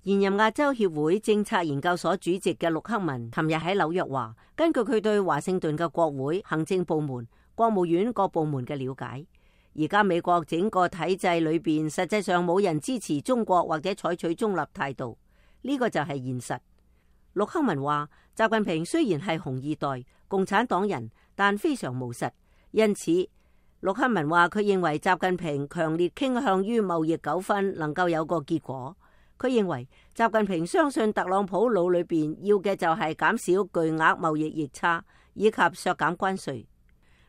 現任亞洲協會政策研究所主席嘅陸克文琴日喺紐約話，根據佢對華盛頓嘅國會、行政部門、國務院各部門嘅了解，而家美國整個體制裏邊實際上冇人支持中國或者採取中立態度，呢個就係現實。陸克文話，習近平雖然係紅二代、共產黨人，但非常務實，因此陸克文話佢認為習近平強烈傾向於貿易糾紛能夠有個結果。佢認為習近平相信特朗普腦裏邊要嘅就係減少巨額貿易逆差以及削減關稅。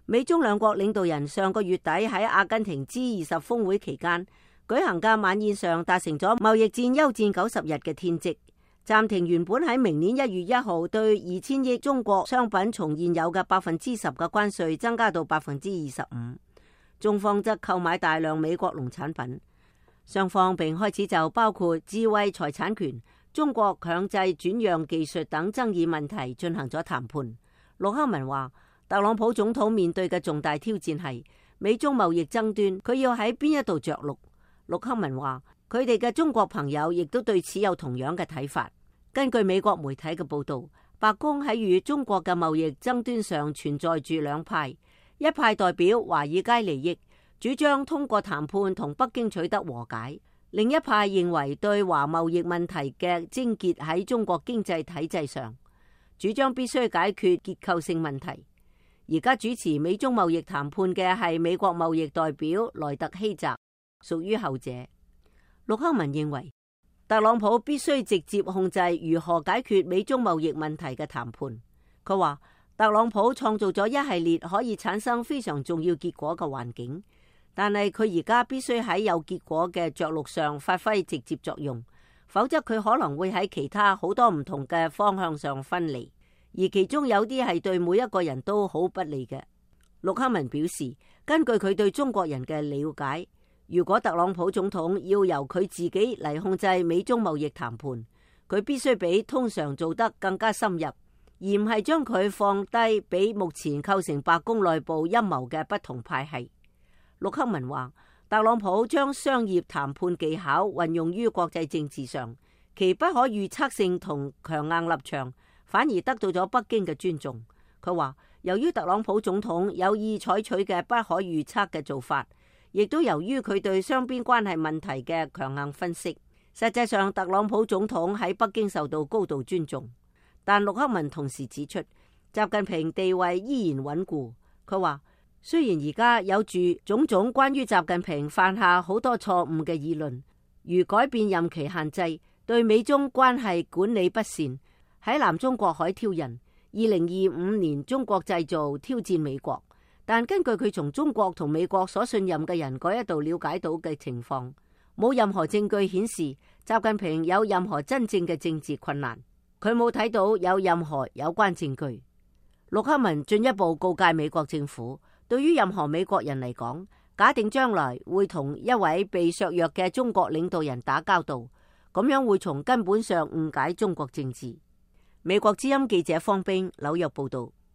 美中兩國領導人上個月底喺阿根廷 G20 峰會期間舉行嘅晚宴上達成咗貿易戰休戰90日嘅天職，暫停原本喺明年1月1號對2000億中國商品從現有嘅10%嘅關稅增加到25%，中方則購買大量美國農產品。雙方並開始就包括智慧財產權、中國強制轉讓技術等爭議問題進行咗談判。陸克文話，特朗普總統面對嘅重大挑戰係美中貿易爭端，佢要喺邊一度着陸？陸克文話，佢哋嘅中國朋友亦都對此有同樣嘅睇法。根據美國媒體嘅報道，白宮喺與中國嘅貿易爭端上存在住兩派，一派代表華爾街利益，主張通過談判同北京取得和解；另一派認為對華貿易問題嘅症結喺中國經濟體制上，主張必須解決結構性問題。而家主持美中貿易談判嘅係美國貿易代表萊特希澤，屬於後者。陸克文認為特朗普必須直接控制如何解決美中貿易問題嘅談判。佢話特朗普創造咗一系列可以產生非常重要結果嘅環境，但係佢而家必須喺有結果嘅着陸上發揮直接作用，否則佢可能會喺其他好多唔同嘅方向上分離，而其中有啲係對每一個人都好不利嘅。陸克文表示，根據佢對中國人嘅了解，如果特朗普總統要由佢自己嚟控制美中貿易談判，佢必須比通常做得更加深入，而唔係將佢放低俾目前構成白宮內部陰謀嘅不同派系。陸克文話，特朗普將商業談判技巧運用於國際政治上，其不可預測性同強硬立場反而得到咗北京嘅尊重。佢話，由於特朗普總統有意採取嘅不可預測嘅做法，亦都由於佢對雙邊關係問題嘅強硬分析，實際上特朗普總統喺北京受到高度尊重。但陸克文同時指出，習近平地位依然穩固。佢話，雖然而家有住種種關於習近平犯下好多錯誤嘅議論，如改變任期限制、對美中關係管理不善、喺南中國海挑釁、2025年中國製造挑戰美國，但根據佢從中國同美國所信任嘅人嗰一度了解到嘅情況，冇任何證據顯示習近平有任何真正嘅政治困難，佢冇睇到有任何有關證據。陸克文進一步告誡美國政府，對於任何美國人嚟講，假定將來會同一位被削弱嘅中國領導人打交道，咁樣會從根本上誤解中國政治。美國之音記者方冰紐約報道。